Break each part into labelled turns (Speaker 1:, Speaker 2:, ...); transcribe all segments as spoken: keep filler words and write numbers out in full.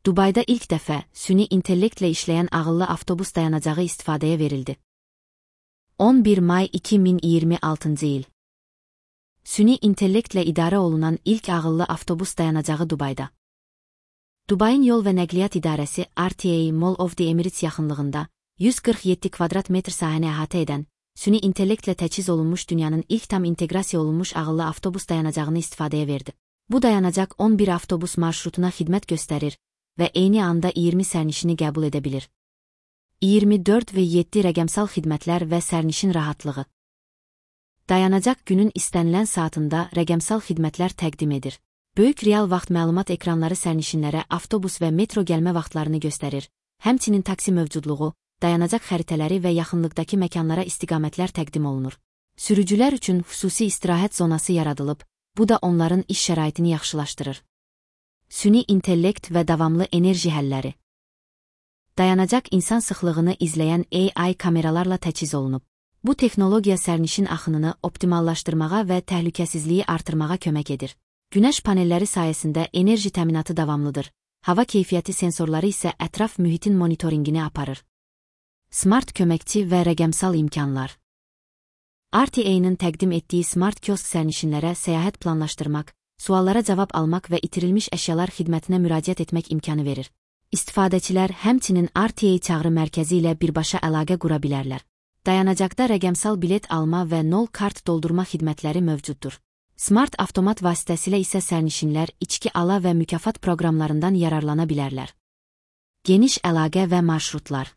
Speaker 1: Dubayda ilk dəfə süni intellektlə işləyən ağıllı avtobus dayanacağı istifadəyə verildi. on bir may iki min iyirmi altıncı il. Süni intellektlə idarə olunan ilk ağıllı avtobus dayanacağı Dubayda. Dubayın Yol və Nəqliyyat İdarəsi R T A Mall of the Emirates yaxınlığında yüz qırx yeddi kvadrat metr sahəni əhatə edən, süni intellektlə təchiz olunmuş dünyanın ilk tam inteqrasiya olunmuş ağıllı avtobus dayanacağını istifadəyə verdi. Bu dayanacaq on bir avtobus marşrutuna xidmət göstərir və eyni anda iyirmi sərnişini qəbul edə bilir. iyirmi dörd və yeddi rəqəmsal xidmətlər və sərnişin rahatlığı. Dayanacaq günün istənilən saatında rəqəmsal xidmətlər təqdim edir. Böyük real vaxt məlumat ekranları sərnişinlərə avtobus və metro gəlmə vaxtlarını göstərir. Həmçinin taksi mövcudluğu, dayanacaq xəritələri və yaxınlıqdakı məkanlara istiqamətlər təqdim olunur. Sürücülər üçün xüsusi istirahət zonası yaradılıb, bu da onların iş şəraitini yaxşılaşdırır. Süni intellekt və davamlı enerji həlləri. Dayanacaq insan sıxlığını izləyən A I kameralarla təchiz olunub. Bu texnologiya sərnişin axınını optimallaşdırmağa və təhlükəsizliyi artırmağa kömək edir. Günəş panelləri sayəsində enerji təminatı davamlıdır. Hava keyfiyyəti sensorları isə ətraf mühitin monitoringini aparır. Smart köməkçi və rəqəmsal imkanlar. R T A-nın təqdim etdiyi Smart Kiosk sərnişinlərə səyahət planlaşdırmaq, suallara cavab almaq və itirilmiş əşyalar xidmətinə müraciət etmək imkanı verir. İstifadəçilər həmçinin R T A çağrı mərkəzi ilə birbaşa əlaqə qura bilərlər. Dayanacaqda rəqəmsal bilet alma və nol kart doldurma xidmətləri mövcuddur. Smart avtomat vasitəsilə isə sərnişinlər içki ala və mükafat proqramlarından yararlana bilərlər. Geniş əlaqə və marşrutlar.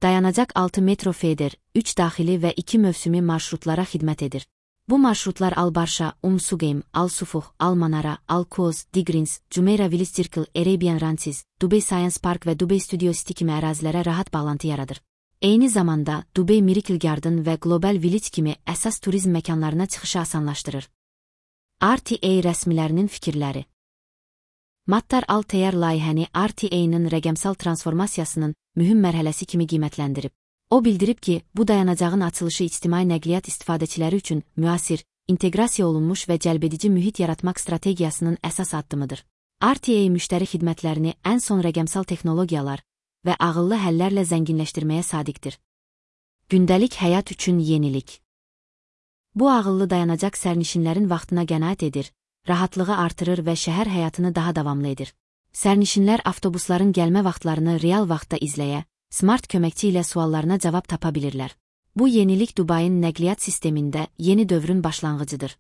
Speaker 1: Dayanacaq altı metro feeder, üç daxili və iki mövsümi marşrutlara xidmət edir. Bu marşrutlar Al-Barşa, Umm Suqeym, Al-Sufuh, Al-Manara, Al-Quoz, Digrins, Jumeirah Village Circle, Arabian Ranches, Dubai Science Park və Dubai Studio City kimi ərazilərə rahat bağlantı yaradır. Eyni zamanda Dubai Miracle Garden və Global Village kimi əsas turizm məkanlarına çıxışı asanlaşdırır. R T A rəsmilərinin fikirləri. Mattar Al-Tayyar layihəni R T A-nın rəqəmsal transformasiyasının mühüm mərhələsi kimi qiymətləndirib. O bildirib ki, bu dayanacağın açılışı ictimai nəqliyyat istifadəçiləri üçün müasir, inteqrasiya olunmuş və cəlbedici mühit yaratmaq strategiyasının əsas addımıdır. R T A müştəri xidmətlərini ən son rəqəmsal texnologiyalar və ağıllı həllərlə zənginləşdirməyə sadiqdir. Gündəlik həyat üçün yenilik. Bu ağıllı dayanacaq sərnişinlərin vaxtına qənaət edir, rahatlığı artırır və şəhər həyatını daha davamlı edir. Sərnişinlər avtobusların gəlmə vaxtlarını real vaxtda izləyə, smart köməkçi ilə suallarına cavab tapa bilirlər. Bu yenilik Dubayın nəqliyyat sistemində yeni dövrün başlanğıcıdır.